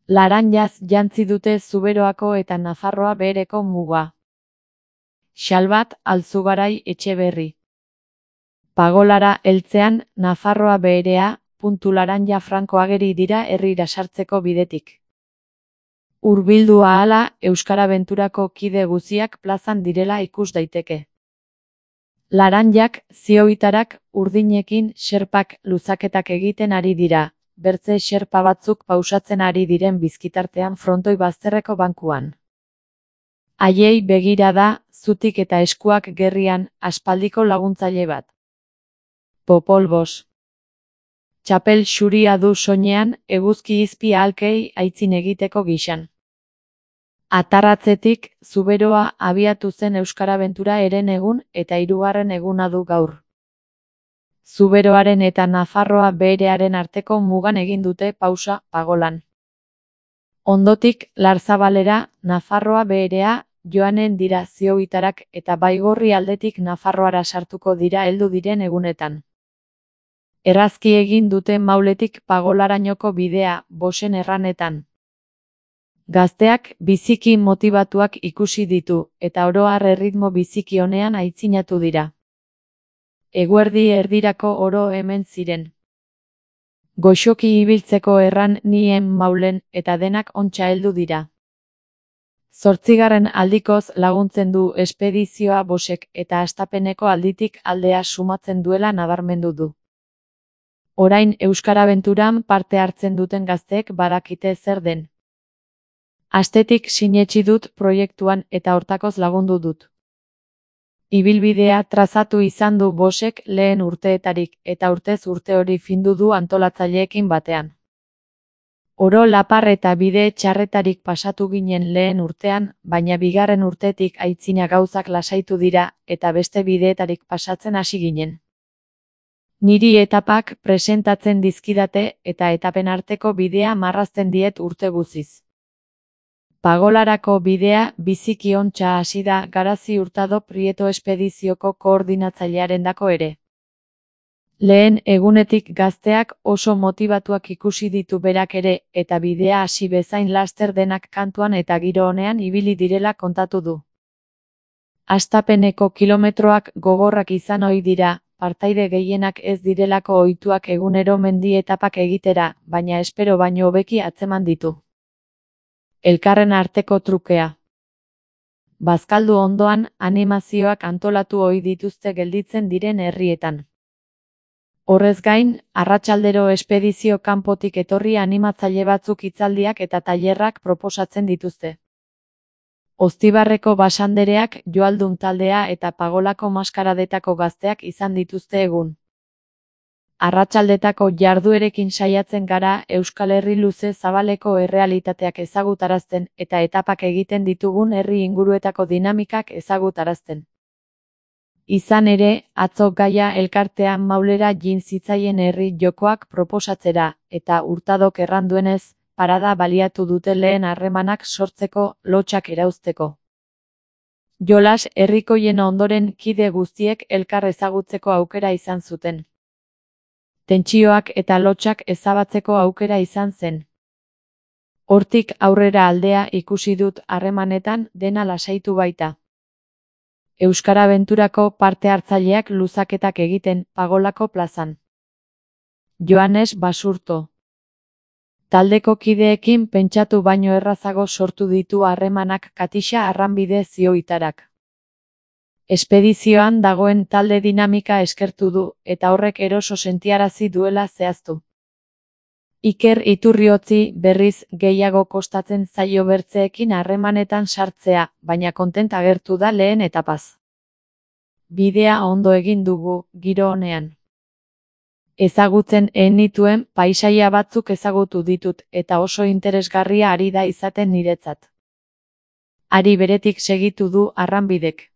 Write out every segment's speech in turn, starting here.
Laranjaz jantzi dute Zuberoako eta Nafarroa Behereko muga. Xalbat Alzugarai Etxeberri. Pagolara heltzean Nafarroa Beherea, puntu Laranja franko ageri dira herrira sartzeko bidetik. Hurbildu ahala Euskarabenturako kide guziak plazan direla ikus daiteke. Laranjak, zioitarak, urdinekin xerpak luzaketak egiten ari dira, bertze xerpa batzuk pausatzen ari diren bizkitartean frontoi bazterreko bankuan. Haiei begira da, zutik eta eskuak gerrian, aspaldiko laguntzaile bat. Popolbos. Txapel xuria du soinean, eguzki izpi ahalkei aitzin egiteko gixan. Atarratzetik, Zuberoa abiatu zen Euskarabentura herenegun eta 3. eguna du gaur. Zuberoaren eta Nafarroa Beherearen arteko mugan egin dute pausa Pagolan. Ondotik, Larzabalera, Nafarroa Beherea, joanen dira zioitarak eta Baigorri aldetik Nafarroara sartuko dira heldu diren egunetan. Errazki egin dute Mauletik Pagolarainoko bidea, Bosen erranetan. Gazteak biziki motibatuak ikusi ditu, eta oro har erritmo biziki honean aitzinatu dira. Eguerdi erdirako oro hemen ziren. Goxoki ibiltzeko erran nien Maulen, eta denak ontsa heldu dira. 8. aldikoz laguntzen du espedizioa Bosek eta hastapeneko alditik aldea sumatzen duela nabarmendu du. Orain Euskarabenturan parte hartzen duten gazteek badakite zer den. Astetik sinetsi dut proiektuan eta hortakoz lagundu dut. Ibilbidea trazatu izan du Bosek lehen urteetarik eta urtez urte hori findu du antolatzaileekin batean. Oro lapar eta bide txarretarik pasatu ginen lehen urtean, baina 2. urtetik aitzina gauzak lasaitu dira eta beste bideetarik pasatzen hasi ginen. Niri etapak presentatzen dizkidate eta etapen arteko bidea marrazten diet urte guziz. Pagolarako bidea biziki ontsa hasi da Garazi Hurtado Prieto espedizioko koordinatzailearendako ere. Lehen egunetik gazteak oso motibatuak ikusi ditu berak ere eta bidea hasi bezain laster denak kantuan eta giro honean ibili direla kontatu du. Hastapeneko kilometroak gogorrak izan ohi dira, partaide gehienak ez direlako ohituak egunero mendi etapak egitera, baina espero baino hobeki atzeman ditu. Elkarren arteko trukea. Bazkaldu ondoan, animazioak antolatu ohi dituzte gelditzen diren herrietan. Horrez gain, arratsaldero espedizio kanpotik etorri animatzaile batzuk hitzaldiak eta tailerrak proposatzen dituzte. Oztibarreko basandereak, Joaldun taldea eta Pagolako maskaradetako gazteak izan dituzte egun. Arratsaldetako jarduerekin saiatzen gara Euskal Herri luze zabaleko errealitateak ezagutarazten eta etapak egiten ditugun herri inguruetako dinamikak ezagutarazten. Izan ere, atzo Gaia elkartean Maulera jin zitzaien herri jokoak proposatzera, eta Hurtadok erran duenez, parada baliatu dute lehen harremanak sortzeko, lotsak erauzteko. Jolas herrikoien ondoren kide guztiek elkar ezagutzeko aukera izan zuten. Tentsioak eta lotsak ezabatzeko aukera izan zen. Hortik aurrera aldea ikusi dut harremanetan dena lasaitu baita. Euskarabenturako parte hartzaileak luzaketak egiten Pagolako plazan. Joanes Basurto. Taldeko kideekin pentsatu baino errazago sortu ditu harremanak Katixa Arranbide zioitarak. Espedizioan dagoen talde dinamika eskertu du, eta horrek eroso sentiarazi duela zehaztu. Iker Iturriotzi berriz gehiago kostatzen zaio bertzeekin harremanetan sartzea, baina kontent agertu da lehen etapaz. Bidea ondo egin dugu, giro honean. Ezagutzen nituen paisaia batzuk ezagutu ditut, eta oso interesgarria ari da izaten niretzat. Ari beretik segitu du Arranbidek.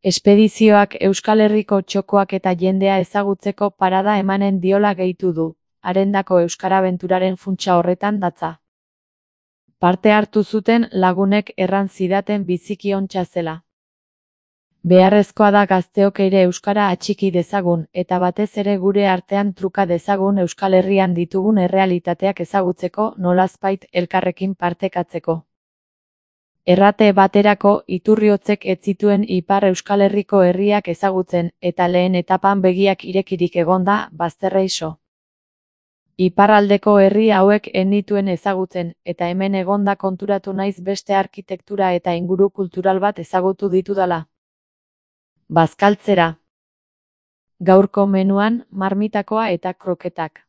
Espedizioak Euskal Herriko txokoak eta jendea ezagutzeko parada emanen diola gehitu du, harendako Euskarabenturaren funtsa horretan datza. Parte hartu zuten lagunek erran zidaten biziki ontsa zela. Beharrezkoa da gazteok ere euskara atxiki dezagun, eta batez ere gure artean truka dezagun Euskal Herrian ditugun errealitateak ezagutzeko, nolazbait elkarrekin partekatzeko. Errate baterako, Iturriotzek ez zituen Ipar Euskal Herriko herriak ezagutzen, eta lehen etapan begiak irekirik egonda, bazterreiso. Iparraldeko herri hauek ez nituen ezagutzen, eta hemen egonda konturatu naiz beste arkitektura eta inguru kultural bat ezagutu ditudala. Bazkaltzera. Gaurko menuan, marmitakoa eta kroketak.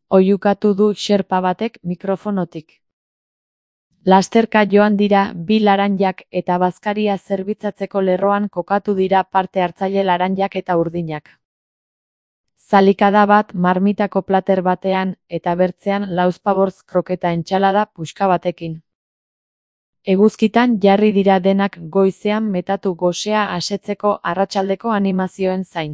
Oihukatu du xerpa batek mikrofonotik. Lasterka joan dira bi laranjak eta bazkaria zerbitzatzeko lerroan kokatu dira parte hartzaile laranjak eta urdinak. Zalikada bat marmitako plater batean eta bertzean lauzpabortz kroketa entsalada puska batekin. Eguzkitan jarri dira denak goizean metatu gosea asetzeko arratsaldeko animazioen zain.